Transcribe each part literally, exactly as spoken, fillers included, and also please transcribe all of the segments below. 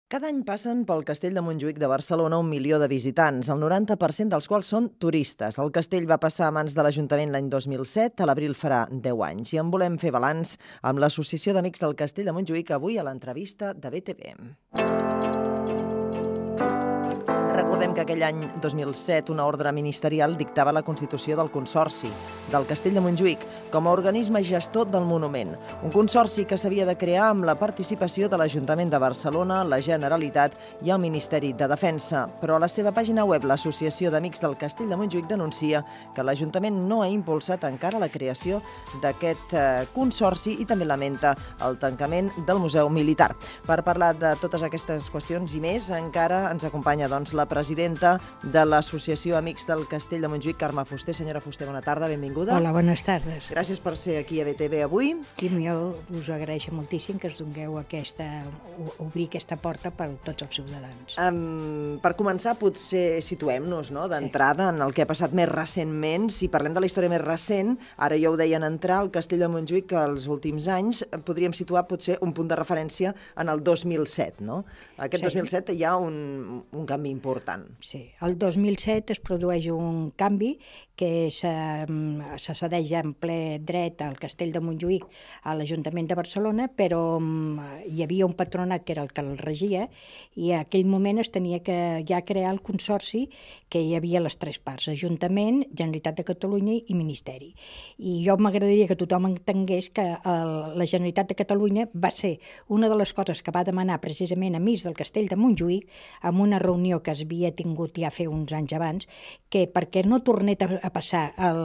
Cada any passen pel Castell de Montjuïc de Barcelona un milió de visitants, el noranta per cent dels quals són turistes. El castell va passar a mans de l'Ajuntament l'any dos mil set, a l'abril farà deu anys. I en volem fer balanç amb l'Associació d'Amics del Castell de Montjuïc avui a l'entrevista de B T V. Recordem que aquell any dos mil set una ordre ministerial dictava la constitució del Consorci del Castell de Montjuïc com a organisme gestor del monument. Un consorci que s'havia de crear amb la participació de l'Ajuntament de Barcelona, la Generalitat i el Ministeri de Defensa. Però a la seva pàgina web, l'Associació d'Amics del Castell de Montjuïc denuncia que l'Ajuntament no ha impulsat encara la creació d'aquest eh, consorci i també lamenta el tancament del Museu Militar. Per parlar de totes aquestes qüestions i més, encara ens acompanya doncs, la presidenta de l'Associació Amics del Castell de Montjuïc, Carme Fuster. Senyora Fuster, bona tarda, benvinguda. Hola, bones tardes. Gràcies per ser aquí a B T V avui. I jo us agraeixo moltíssim que us dongueu aquesta, obrir aquesta porta per a tots els ciutadans. Um, per començar, potser situem-nos no? d'entrada sí. en el que ha passat més recentment. Si parlem de la història més recent, ara ja ho deien entrar, el Castell de Montjuïc, que els últims anys podríem situar potser un punt de referència en el dos mil set, no? Aquest sí. dos mil set hi ha un, un canvi important. Sí, el dos mil set es produeix un canvi que se, se cedeix en ple dret al Castell de Montjuïc a l'Ajuntament de Barcelona, però hi havia un patronat que era el que el regia i a aquell moment es tenia que ja crear el consorci, que hi havia les tres parts, Ajuntament, Generalitat de Catalunya i Ministeri. I jo m'agradaria que tothom entengués que el, la Generalitat de Catalunya va ser una de les coses que va demanar precisament Amics del Castell de Montjuïc en una reunió que es havia tingut ja fer uns anys abans, que perquè no tornés a passar el,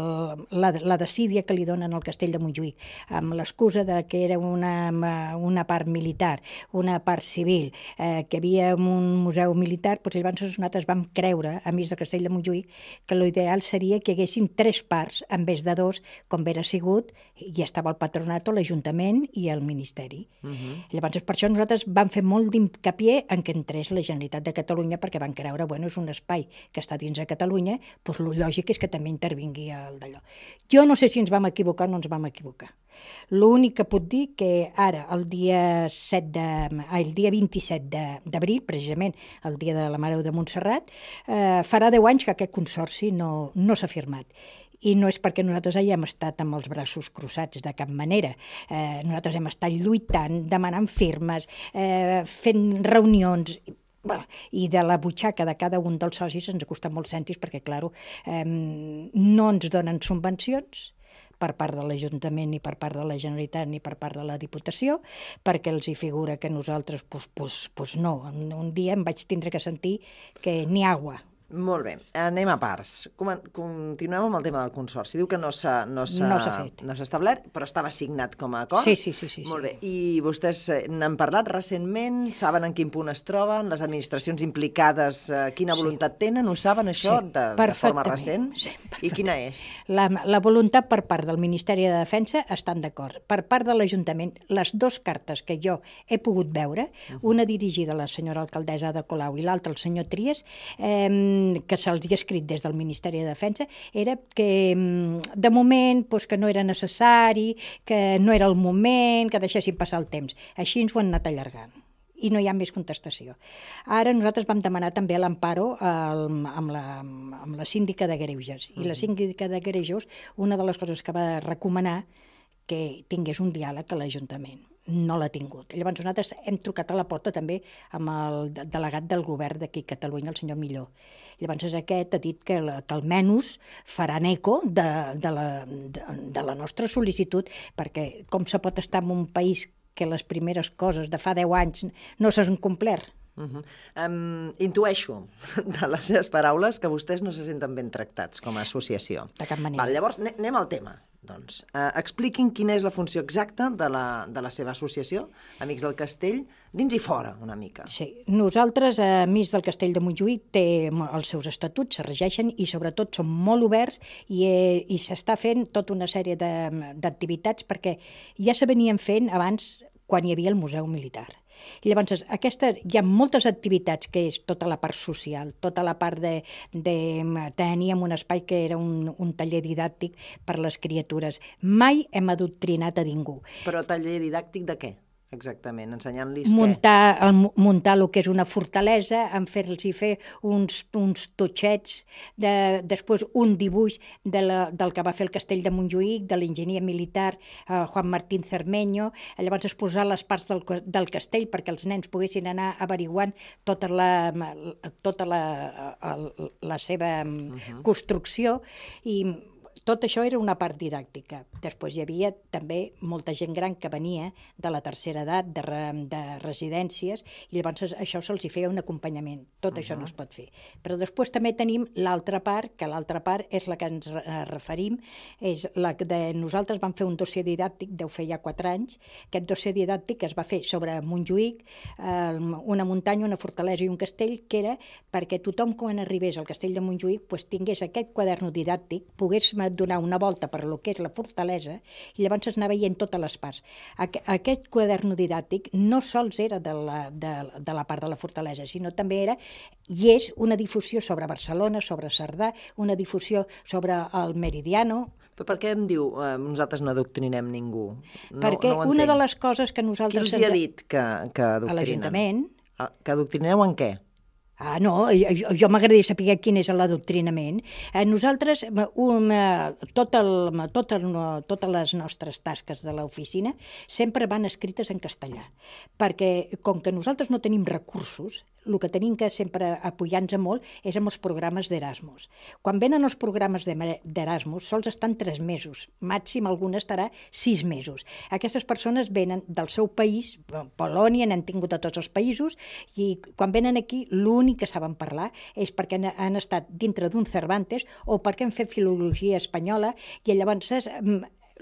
la, la desídia que li donen al Castell de Montjuïc, amb l'excusa de que era una, una part militar, una part civil, eh, que hi havia un museu militar, doncs llavors nosaltres vam creure, Amics del Castell de Montjuïc, que l'ideal seria que hi haguessin tres parts, en vez de dos, com era sigut, i estava el patronat, l'Ajuntament i el Ministeri. Uh-huh. Llavors, per això nosaltres vam fer molt d'incapié en que entrés la Generalitat de Catalunya, perquè van creure, bueno, és un espai que està dins de Catalunya, doncs el lògic és que també intervingui el d'allò. Jo no sé si ens vam equivocar o no ens vam equivocar. L'únic que puc dir que ara, el dia, set de, el dia vint-i-set d'abril, precisament el dia de la Mare de Montserrat, eh, farà deu anys que aquest consorci no, no s'ha firmat. I no és perquè nosaltres hàgim estat amb els braços crossats, de cap manera. Eh, nosaltres hem estat lluitant, demanant firmes, eh, fent reunions, i de la butxaca de cada un dels socis ens ha costat molts cèntims perquè, clar, eh, no ens donen subvencions per part de l'Ajuntament, ni per part de la Generalitat, ni per part de la Diputació, perquè els hi figura que nosaltres, doncs, doncs, doncs no. Un dia em vaig tindre que sentir que ni aigua. Molt bé, anem a parts. Continuem amb el tema del consorci. Diu que no s'ha no no fet. No s'ha establert, però estava signat com a acord. Sí, sí, sí. sí Molt bé. Sí. I vostès n'han parlat recentment? Saben en quin punt es troben? Les administracions implicades, quina voluntat sí. tenen? Ho saben, això, sí, de, de forma recent? Sí, I quina és? La, la voluntat per part del Ministeri de Defensa estan d'acord. Per part de l'Ajuntament, les dues cartes que jo he pogut veure, uh-huh. una dirigida a la senyora alcaldessa Ada Colau i l'altra al senyor Trias, eh, que se'ls ha escrit des del Ministeri de Defensa, era que de moment doncs, que no era necessari, que no era el moment, que deixessin passar el temps. Així ens ho han anat allargant i no hi ha més contestació. Ara nosaltres vam demanar també l'emparo amb la, amb la síndica de Greuges. I la síndica de Greuges, una de les coses que va recomanar que tingués un diàleg a l'Ajuntament. No l'ha tingut. Llavors nosaltres hem trucat a la porta també amb el delegat del govern d'aquí a Catalunya, el senyor Milló. Llavors aquest ha dit que, que almenys faran eco de, de, la, de, de la nostra sol·licitud, perquè com se pot estar en un país que les primeres coses de fa deu anys no s'han complert? Uh -huh. um, intueixo de les seves paraules que vostès no se senten ben tractats com a associació. De cap manera. Val, llavors anem al tema. Doncs, uh, expliquin quina és la funció exacta de la, de la seva associació, Amics del Castell, dins i fora, una mica. Sí, nosaltres, eh, Amics del Castell de Montjuïc, té els seus estatuts, se regeixen i sobretot són molt oberts i, eh, i s'està fent tota una sèrie d'activitats perquè ja se venien fent abans quan hi havia el Museu Militar. I llavors, aquestes, hi ha moltes activitats que és tota la part social, tota la part de... de teníem un espai que era un, un taller didàctic per les criatures. Mai hem adoctrinat a ningú. Però taller didàctic de què? Exactament, ensenyant-los què? Muntar, el, muntar el que és una fortalesa, en fer-los fer uns, uns totxets, de, després un dibuix de la, del que va fer el castell de Montjuïc, de l'enginyer militar eh, Juan Martín Cermeño, llavors exposar les parts del, del castell perquè els nens poguessin anar averiguant tota la, tota la, la seva uh-huh. construcció, i tot això era una part didàctica. Després hi havia també molta gent gran que venia de la tercera edat, de, re, de residències, i llavors això se'ls feia un acompanyament. Tot uh-huh. això no es pot fer. Però després també tenim l'altra part, que l'altra part és la que ens referim, és la de nosaltres vam fer un dossier didàctic, deu fer ja quatre anys. Aquest dossier didàctic es va fer sobre Montjuïc, eh, una muntanya, una fortalesa i un castell, que era perquè tothom quan arribés al castell de Montjuïc pues, tingués aquest quaderno didàctic, pogués donar una volta per lo que és la fortalesa, i llavors es anava veient totes les parts. Aquest quaderno didàctic no sols era de la, de, de la part de la fortalesa, sinó també era, i és una difusió sobre Barcelona, sobre Cerdà, una difusió sobre el Meridiano. Però per què em diu eh, nosaltres no adoctrinem ningú? No, Perquè no una de les coses que nosaltres... Qui els hi ha dit que, que adoctrinen? A l'Ajuntament. Que adoctrineu en què? Ah, no, jo, jo m'agradaria saber quin és l'adoctrinament. Eh, nosaltres, un, tot el, tot el, totes les nostres tasques de l'oficina sempre van escrites en castellà, perquè com que nosaltres no tenim recursos, el que tenim que sempre apoyar-nos molt és amb els programes d'Erasmus. Quan venen els programes d'Erasmus, sols estan tres mesos, màxim alguna estarà sis mesos. Aquestes persones venen del seu país, Polònia, n'han tingut a tots els països, i quan venen aquí l'únic que saben parlar és perquè han, han estat dintre d'un Cervantes o perquè han fet filologia espanyola, i llavors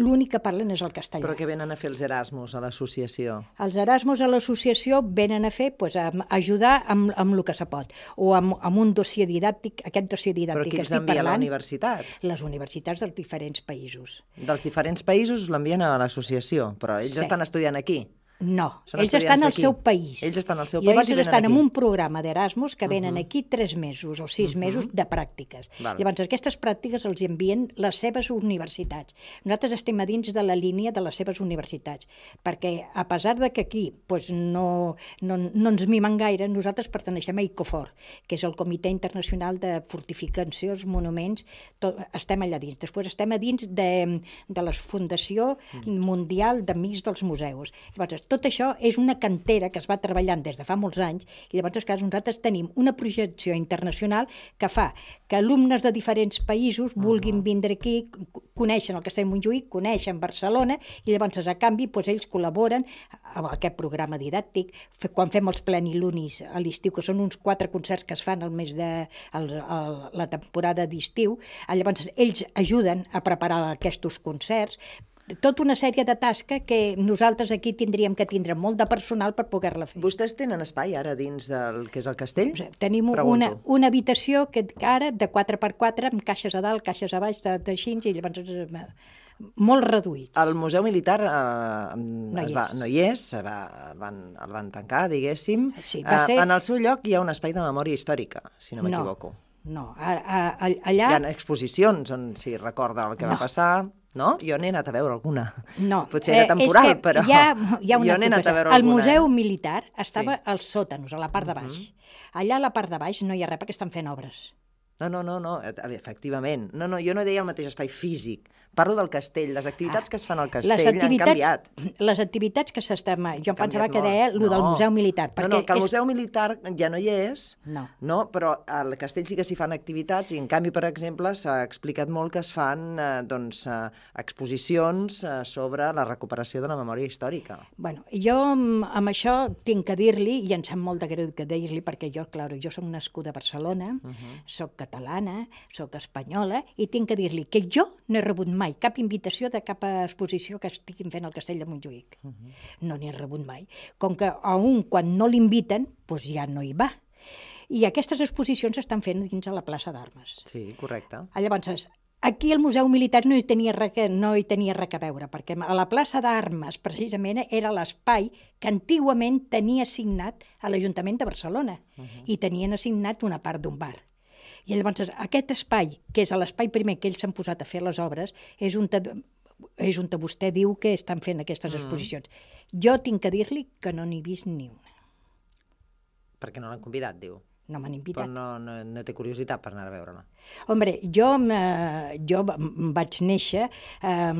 l'únic que parlen és el castellà. Però què venen a fer els Erasmus a l'associació? Els Erasmus a l'associació venen a fer, pues, a ajudar amb, amb el que se pot, o amb, amb un dossier didàctic, aquest dossier didàctic Però qui que els estic envia parlant... a la universitat? Les universitats dels diferents països. Dels diferents països l'envien a l'associació, però ells Sí. estan estudiant aquí? No, Són ells estan al d'aquí. seu país. Ells estan al seu I país llavors i venen estan aquí. en un programa d'Erasmus que venen Uh-huh. aquí tres mesos o sis Uh-huh. mesos de pràctiques. Val. Llavors aquestes pràctiques els envien les seves universitats. Nosaltres estem a dins de la línia de les seves universitats, perquè a pesar de que aquí pues, no, no, no ens mimen gaire, nosaltres perteneixem a ICOFOR, que és el Comitè Internacional de Fortificacions, Monuments, tot, estem allà dins. Després estem a dins de, de la Fundació Mundial d'Amics dels Museus. Llavors, tot això és una cantera que es va treballant des de fa molts anys, i llavors clar, nosaltres tenim una projecció internacional que fa que alumnes de diferents països vulguin vindre aquí, coneixen el Castell de Montjuïc, coneixen Barcelona, i llavors a canvi doncs, ells col·laboren amb aquest programa didàctic. Quan fem els plenilunis a l'estiu, que són uns quatre concerts que es fan al mes de el, el, la temporada d'estiu, llavors ells ajuden a preparar aquests concerts. Tota una sèrie de tasques que nosaltres aquí tindríem que tindre molt de personal per poder-la fer. Vostès tenen espai ara dins del que és el castell? O sigui, tenim una, una habitació que ara de quatre per quatre amb caixes a dalt, caixes a baix, d'així, i llavors eh, molt reduïts. El Museu Militar eh, no, hi va, no hi és, va, el, van, el van tancar, diguéssim. Sí, va ser... eh, en el seu lloc hi ha un espai de memòria històrica, si no m'equivoco. No, a, a, a, allà... Hi ha exposicions on s'hi recorda el que no. va passar... No? Jo n'he anat a veure alguna. No. Potser era temporal, eh, però hi ha, hi ha una jo n'he anat a veure el alguna. El Museu Militar estava sí. als sòtanos, a la part de baix. Uh-huh. Allà a la part de baix no hi ha res perquè estan fent obres. No, no, no, no, efectivament. No, no, jo no deia el mateix espai físic. Parlo del castell, les activitats ah, que es fan al castell han canviat. Les activitats que s'estan... Jo em pensava que deia el no. del Museu Militar. No, no, que el és... Museu Militar ja no hi és, no, no però al castell sí que s'hi fan activitats, i en canvi, per exemple, s'ha explicat molt que es fan eh, doncs, eh, exposicions eh, sobre la recuperació de la memòria històrica. Bueno, jo amb això tinc que dir-li, i em sap molt de greu que dir-li, perquè jo, clar, jo soc nascuda a Barcelona, uh-huh. soc catalana, soc espanyola, i tinc que dir-li que jo no he rebut mai cap invitació de cap exposició que estiguin fent al Castell de Montjuïc. Uh-huh. No n'hi he rebut mai. Com que a un, quan no l'inviten, doncs ja no hi va. I aquestes exposicions s'estan fent dins a la plaça d'Armes. Sí, correcte. Llavors, aquí el Museu Militar no hi tenia res, no hi tenia res a veure, perquè a la plaça d'Armes, precisament, era l'espai que antigament tenia assignat a l'Ajuntament de Barcelona, uh-huh. i tenien assignat una part d'un bar. I llavors aquest espai, que és l'espai primer que ells s'han posat a fer les obres, és un... és on vostè diu que estan fent aquestes exposicions. Jo tinc que dir-li que no n'he vist ni una. Perquè no l'han convidat, diu. No m'han invitat. Però no, no, no té curiositat per anar a veure-la. Hombre, jo, eh, jo vaig néixer eh,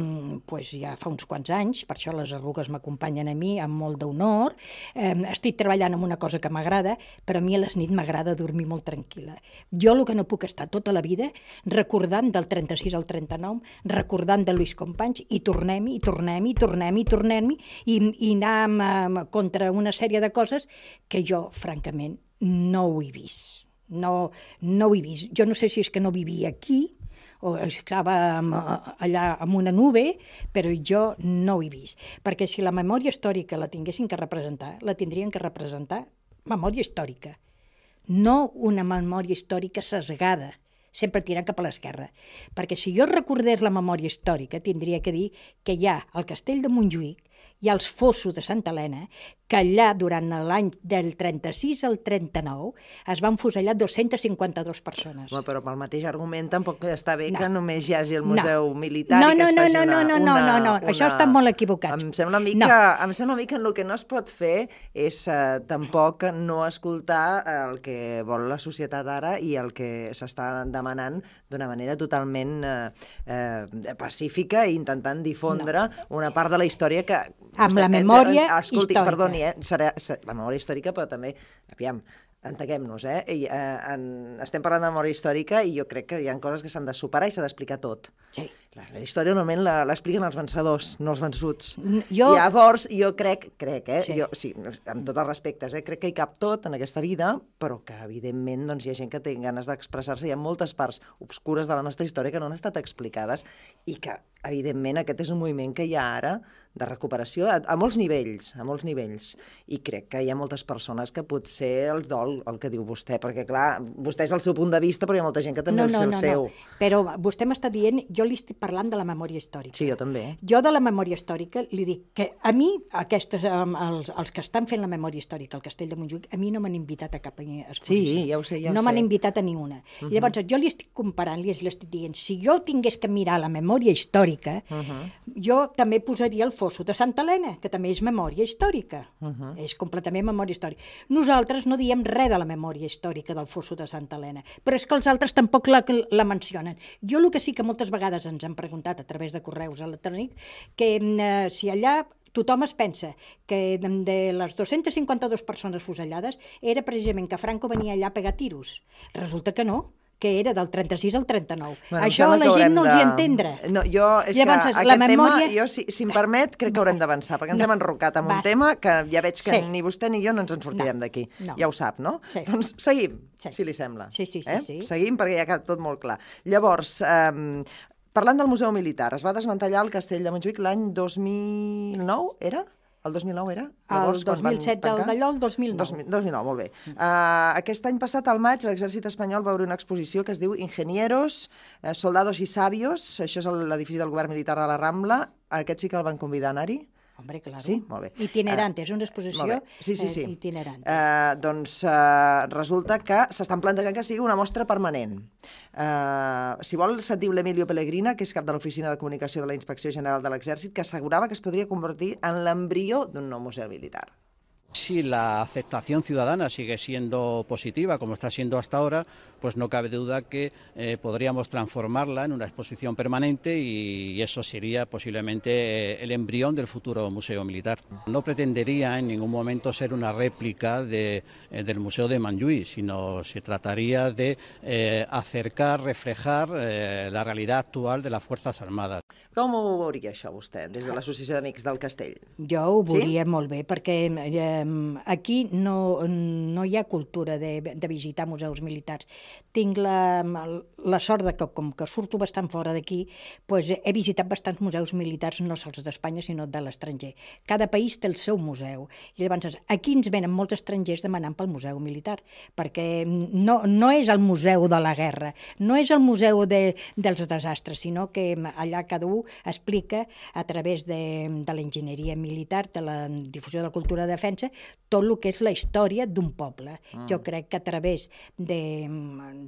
pues ja fa uns quants anys, per això les arrugues m'acompanyen a mi amb molt d'honor. Eh, estic treballant en una cosa que m'agrada, però a mi a les nits m'agrada dormir molt tranquil·la. Jo el que no puc estar tota la vida recordant del trenta-sis al trenta-nou, recordant de Lluís Companys, i tornem-hi, i tornem-hi, i tornem-hi, i tornem-hi, i, i anar contra una sèrie de coses que jo, francament, no ho he vist. No, no ho he vist. Jo no sé si és que no vivia aquí o estava allà amb una nube, però jo no ho he vist. Perquè si la memòria històrica la tinguessin que representar, la tindrien que representar memòria històrica, no una memòria històrica sesgada, sempre tirant cap a l'esquerra. Perquè si jo recordés la memòria històrica, tindria que dir que hi ha el castell de Montjuïc, hi ha els fossos de Santa Helena, que allà, durant l'any del trenta-sis al trenta-nou, es van fusellar dos-centes cinquanta-dues persones. Home, però pel mateix argument tampoc està bé no. que només hi hagi el Museu no. Militar no, i que no, es no, faci no, una... No, no, no, una, no, no, una... això estan molt equivocats. Em sembla, mica, no. em sembla una mica que el que no es pot fer és uh, tampoc no escoltar el que vol la societat ara i el que s'està demanant d'una manera totalment uh, uh, pacífica i intentant difondre no. una part de la història que... Amb la memòria Escolti, històrica. Perdoni, eh? Serà, serà, la memòria històrica, però també, aviam, entenguem-nos, eh? I, eh en, estem parlant de memòria històrica i jo crec que hi ha coses que s'han de superar i s'ha d'explicar tot. Sí. La, la història normalment l'expliquen els vencedors, no els vençuts. Jo... Llavors, jo crec, crec, eh? Sí. Jo, sí, amb tots els respectes, eh? Crec que hi cap tot en aquesta vida, però que, evidentment, doncs, hi ha gent que té ganes d'expressar-se. Hi ha moltes parts obscures de la nostra història que no han estat explicades i que, evidentment, aquest és un moviment que hi ha ara de recuperació a, a molts nivells, a molts nivells. I crec que hi ha moltes persones que potser els dol el que diu vostè, perquè, clar, vostè és el seu punt de vista, però hi ha molta gent que també no, és no, el no, seu. No. Però vostè m'està dient, jo li estic parlant de la memòria històrica. Sí, jo també. Jo de la memòria històrica li dic que a mi, aquestes, els, els que estan fent la memòria històrica al Castell de Montjuïc, a mi no m'han invitat a cap exposició. Sí, ja ho sé, ja ho no sé. m'han invitat a ninguna. Uh -huh. Llavors, jo li estic comparant, li estic dient, si jo tingués que mirar la memòria històrica, uh -huh. jo també posaria el fosso de Santa Helena, que també és memòria històrica. Uh -huh. És completament memòria històrica. Nosaltres no diem res de la memòria històrica del fosso de Santa Helena, però és que els altres tampoc la, la mencionen. Jo el que sí que moltes vegades ens han preguntat a través de correus electrònics, que eh, si allà tothom es pensa que de les dos-centes cinquanta-dues persones fusellades era precisament que Franco venia allà a pegar tiros. Resulta que no, que era del trenta-sis al trenta-nou. Bueno, això la gent no els de... hi entendre. No, jo, és Llavors, que aquest la memòria... tema, jo, si, si em permet, crec que haurem d'avançar, perquè ens no. hem enrocat en Va. un tema que ja veig que sí. ni vostè ni jo no ens en sortirem no. d'aquí. No. Ja ho sap, no? Sí. Doncs seguim, sí. si li sembla. Sí, sí, sí. Eh? sí. Seguim, perquè ja ha quedat tot molt clar. Llavors, eh, parlant del Museu Militar, es va desmantellar el Castell de Montjuïc l'any dos mil nou, era? El dos mil nou era? Llavors, el dos mil set, el d'allò, el dos mil nou. dos mil nou, molt bé. Uh, aquest any passat, al maig, l'exèrcit espanyol va obrir una exposició que es diu Ingenieros, eh, Soldados y Sabios. Això és l'edifici del govern militar de la Rambla. Aquest sí que el van convidar a anar-hi? Hombre, claro. Sí? Molt bé. Itinerante, uh, és una exposició sí, sí, sí. Eh, itinerante. Uh, doncs uh, resulta que s'estan plantejant que sigui una mostra permanent. Uh, si vol, sentiu l'Emilio Pellegrina, que és cap de l'Oficina de Comunicació de la Inspecció General de l'Exèrcit, que assegurava que es podria convertir en l'embrió d'un nou museu militar. Si la aceptación ciudadana sigue siendo positiva, como está siendo hasta ahora, pues no cabe duda que eh, podríamos transformarla en una exposición permanente y eso sería posiblemente eh, el embrión del futuro Museo Militar. No pretendería en ningún momento ser una réplica de, eh, del Museo de Montjuïc, sino se trataría de eh, acercar, reflejar eh, la realidad actual de las Fuerzas Armadas. Com ho veuria això vostè, des de l'Associació d'Amics del Castell? Jo ho veuria sí? molt bé, perquè eh, aquí no, no hi ha cultura de, de visitar museus militars. Tinc la, la sort de que, com que surto bastant fora d'aquí, pues he visitat bastants museus militars, no sols d'Espanya, sinó de l'estranger. Cada país té el seu museu. I llavors, aquí ens venen molts estrangers demanant pel museu militar, perquè no, no és el museu de la guerra, no és el museu de, dels desastres, sinó que allà cada un explica a través de, de l'enginyeria militar, de la difusió de la cultura de defensa, tot el que és la història d'un poble. Mm. Jo crec que a través de,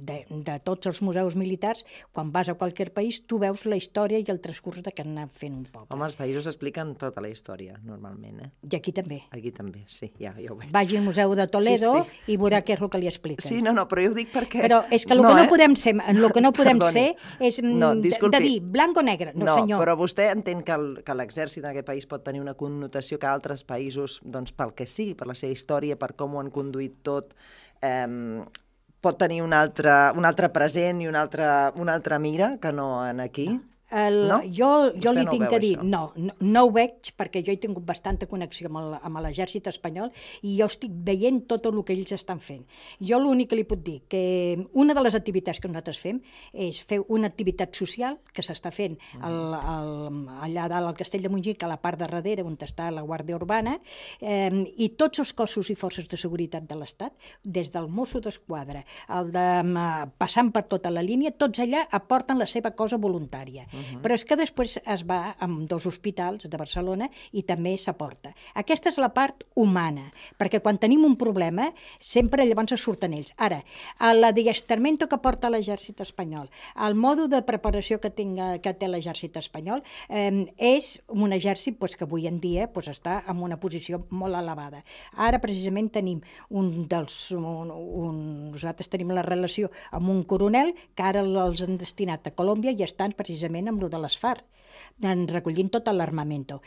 de, de tots els museus militars, quan vas a qualsevol país, tu veus la història i el transcurs de que han anat fent un poble. Home, els països expliquen tota la història, normalment, eh? I aquí també. Aquí també, sí, ja, ja ho veig. Vagi al Museu de Toledo sí, sí. i veurà què és el que li expliquen. Sí, no, no, però jo ho dic perquè... Però és que el no, que no eh? podem ser, el que no podem ser és no, de, de dir blanc o negre. No, no senyor. Però vostè entén que l'exèrcit en aquest país pot tenir una connotació que altres països, doncs pel que sigui, per la seva història, per com ho han conduït tot, eh, pot tenir un altre, un altre present i una altra, una altra mira que no en aquí? El, no? Jo, jo li no tinc veu, que dir, això? no, no, no ho veig perquè jo he tingut bastanta connexió amb, amb l'exèrcit espanyol i jo estic veient tot el que ells estan fent. Jo l'únic que li puc dir que una de les activitats que nosaltres fem és fer una activitat social que s'està fent al, al, allà dalt al Castell de Montjuïc, a la part de darrere on està la Guàrdia Urbana, eh, i tots els cossos i forces de seguretat de l'Estat, des del Mosso d'Esquadra, el de, passant per tota la línia, tots allà aporten la seva cosa voluntària. Uh-huh. Però és que després es va amb dos hospitals de Barcelona i també s'aporta. Aquesta és la part humana, perquè quan tenim un problema sempre llavors surten ells. Ara, l'adiestrament que porta l'exèrcit espanyol, el mode de preparació que, tinga, que té l'exèrcit espanyol, eh, és un exèrcit pues, que avui en dia pues, està en una posició molt elevada. Ara precisament tenim un dels... Un, un, nosaltres tenim la relació amb un coronel que ara els han destinat a Colòmbia i estan precisament amb lo de les FARC, recollint tot l'armamento.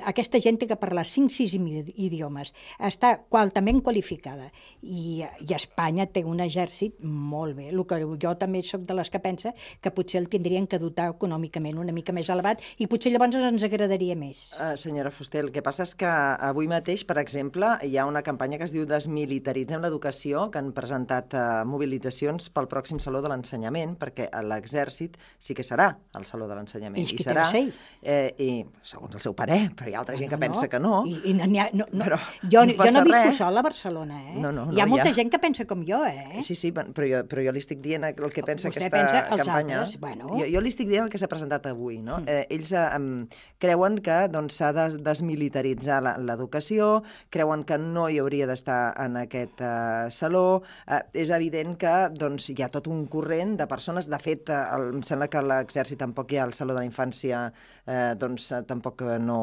Aquesta gent té que parlar cinc sis idiomes, està altament qualificada i, i Espanya té un exèrcit molt bé. El que jo també soc de les que pensa que potser el tindrien que dotar econòmicament una mica més elevat i potser llavors ens agradaria més. Uh, senyora Fuster, el que passa és que avui mateix, per exemple, hi ha una campanya que es diu Desmilitaritzem l'educació, que han presentat uh, mobilitzacions pel pròxim Saló de l'Ensenyament, perquè l'exèrcit sí que serà el Saló de l'Ensenyament. I, I serà, eh, i segons el seu parer, però hi ha altra gent que no, pensa que no. I, i no, no, no. Però jo no jo no visco res. sol a Barcelona, eh? No, no, no, hi ha molta ja. gent que pensa com jo, eh? Sí, sí, però jo, però jo li estic dient el que pensa Vostè aquesta pensa els campanya. Altres, bueno. jo, jo li estic dient el que s'ha presentat avui, no? Mm. Eh, ells eh, creuen que doncs, s'ha de desmilitaritzar l'educació, creuen que no hi hauria d'estar en aquest eh, saló. Eh, és evident que doncs, hi ha tot un corrent de persones. De fet, eh, el, em sembla que l'exèrcit tampoc hi ha al Saló de la Infància, eh, doncs tampoc no...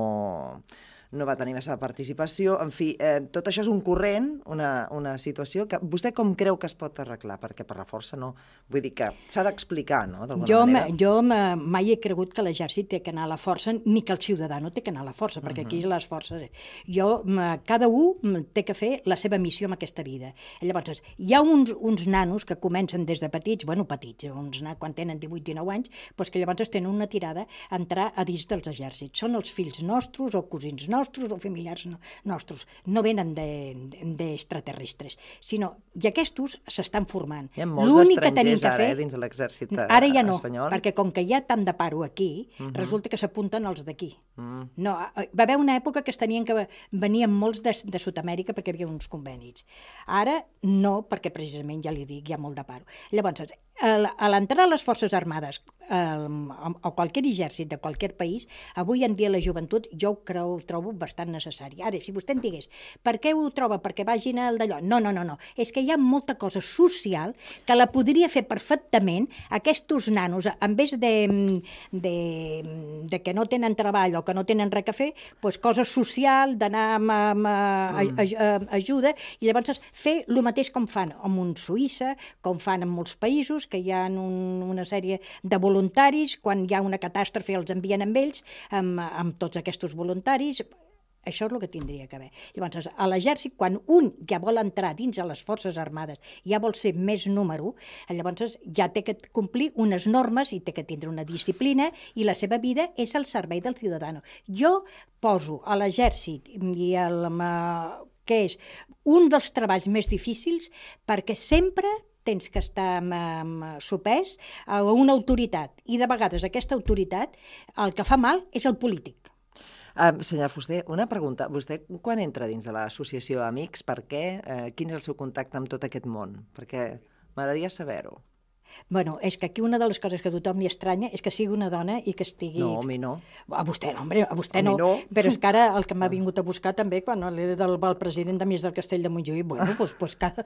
no va tenir massa participació. En fi, eh, tot això és un corrent, una, una situació que vostè com creu que es pot arreglar? Perquè per la força no... Vull dir que s'ha d'explicar, no?, d'alguna jo, manera. Jo mai he cregut que l'exèrcit té que anar a la força, ni que el ciutadà no té que anar a la força, perquè uh -huh. aquí les forces... Jo, cada un té que fer la seva missió en aquesta vida. Llavors, hi ha uns, uns nanos que comencen des de petits, bueno, petits, uns, quan tenen divuit dinou anys, doncs que llavors tenen una tirada a entrar a dins dels exèrcits. Són els fills nostres o cosins nostres, nostres o familiars no, nostres, no venen d'extraterrestres, sinó i aquests s'estan formant. Hi ha molts estrangers ara, eh, dins de l'exèrcit espanyol. Ara ja no, perquè com que hi ha tant de paro aquí, uh -huh. resulta que s'apunten els d'aquí. Uh -huh. No, va haver una època que es tenien que venien molts de, de Sud-amèrica perquè hi havia uns convenis. Ara no, perquè precisament, ja li dic, hi ha molt de paro. Llavors, a l'entrar a les Forces Armades o qualsevol exèrcit de qualsevol país, avui en dia la joventut jo ho creu, trobo bastant necessari. Ara, si vostè em digués, per què ho troba? Perquè vagin al d'allò? No, no, no, no. És que hi ha molta cosa social que la podria fer perfectament aquests nanos, en vez de, de, de que no tenen treball o que no tenen res a fer, doncs cosa social, d'anar amb, amb a, a, a, ajuda, i llavors fer el mateix com fan amb un Suïssa, com fan en molts països, que hi ha un, una sèrie de voluntaris, quan hi ha una catàstrofe els envien amb ells, amb, amb tots aquests voluntaris. Això és el que tindria que haver. Llavors, a l'exèrcit, quan un ja vol entrar dins a les Forces Armades, ja vol ser més número, llavors ja té que complir unes normes i té que tindre una disciplina i la seva vida és al servei del ciutadà. Jo poso a l'exèrcit i el, que és un dels treballs més difícils perquè sempre tens que estar sopès a una autoritat i de vegades aquesta autoritat el que fa mal és el polític. Uh, senyora Fuster, una pregunta. Vostè quan entra dins de l'associació Amics, per què? Uh, quin és el seu contacte amb tot aquest món? Perquè m'agradaria saber-ho. Bueno, és que aquí una de les coses que a tothom li estranya és que sigui una dona i que estigui... No, a mi no. A vostè no, hombre, a vostè A mi no. no. Però és que ara el que m'ha vingut a buscar també, quan era del, el president de Mies del Castell de Montjuïc, bueno, doncs, doncs cada,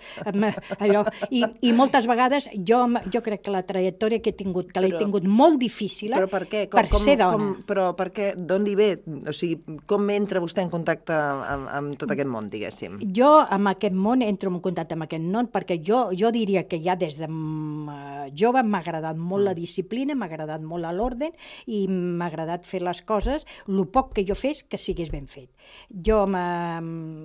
allò... I, I moltes vegades jo, jo crec que la trajectòria que he tingut, que l'he Però- tingut molt difícil Però per què? Com, per com, ser dona. Com, però per què? D'on li ve? O sigui, com entra vostè en contacte amb, amb tot aquest món, diguéssim? Jo amb aquest món entro en contacte amb aquest món perquè jo, jo diria que ja des de mm, jove m'ha agradat molt la disciplina, m'ha agradat molt l'ordre i m'ha agradat fer les coses, el poc que jo fes que sigués ben fet. Jo m'ha...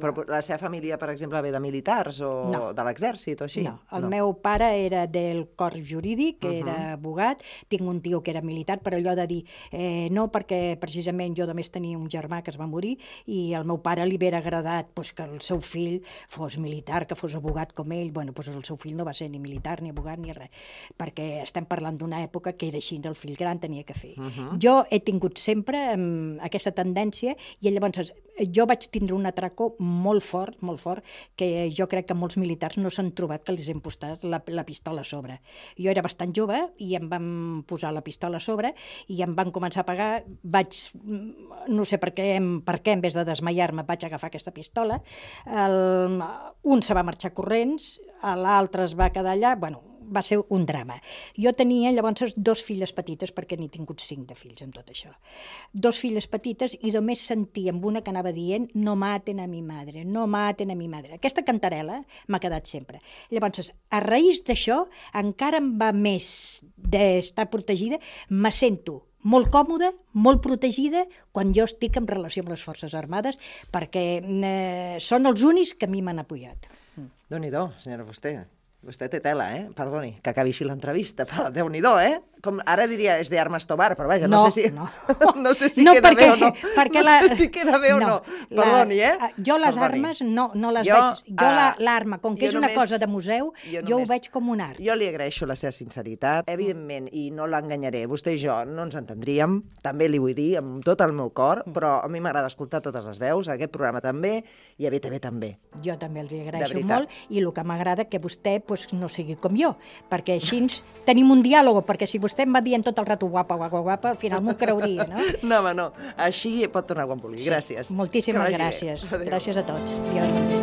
Però la seva família, per exemple, ve de militars o No. de l'exèrcit o així? No, el meu pare era del cos jurídic, que era abogat, tinc un tio que era militar, però allò de dir, eh, no, perquè precisament jo només tenia un germà que es va morir i al meu pare li hauria agradat pues, que el seu fill fos militar, que fos abogat com ell. Bueno, pues el seu fill no va ser ni militar, ni abogat, ni res, perquè estem parlant d'una època que era així, el fill gran tenia que fer. Jo he tingut sempre um, aquesta tendència i llavors jo vaig tindre un atraco molt fort, molt fort, que jo crec que molts militars no s'han trobat que els hem posat la, la pistola a sobre. Jo era bastant jove i em van posar la pistola a sobre i em van començar a pagar, vaig, no sé per què, per què en vez de desmaiar-me vaig agafar aquesta pistola, el, un se va marxar corrents, l'altre es va quedar allà, bueno, va ser un drama. Jo tenia llavors dos filles petites, perquè n'he tingut cinc de fills amb tot això. Dos filles petites i només sentia amb una que anava dient no maten a mi madre, no maten a mi madre. Aquesta cantarela m'ha quedat sempre. Llavors, a raïs d'això, encara em va més d'estar protegida, me sento molt còmoda, molt protegida, quan jo estic en relació amb les Forces Armades, perquè eh, són els únics que a mi m'han apoyat. Déu-n'hi-do, senyora Fuster. Vostè té tela, eh? Perdoni, que acabi així l'entrevista, però Déu-n'hi-do, eh? Com ara diria, és de armes tobar, però vaja, no, No, sé si, no. no sé si No, queda perquè- bé o no. perquè no la- sé si queda bé o no. la- Perdoni, eh? Jo les Perdoni. armes no, no les Jo, veig... Jo la- ah, l'arma, com que jo és una només- cosa de museu, jo, ho només- veig com un art. Jo li agraeixo la seva sinceritat, evidentment, i no l'enganyaré, vostè i jo no ens entendríem, també li vull dir, amb tot el meu cor, però a mi m'agrada escoltar totes les veus, aquest programa també, i a B T V també. Jo també els hi De agraeixo veritat. molt i el que m'agrada que vostè pues, no sigui com jo, perquè així ens tenim un diàleg, perquè si vostè em va dient tot el rato guapa, guapa, guapa, al final m'ho creuria, no? No, home, no. Així pot tornar quan vulgui. Gràcies. Moltíssimes Que vagi bé. gràcies. Adéu. Gràcies a tots. Adiós.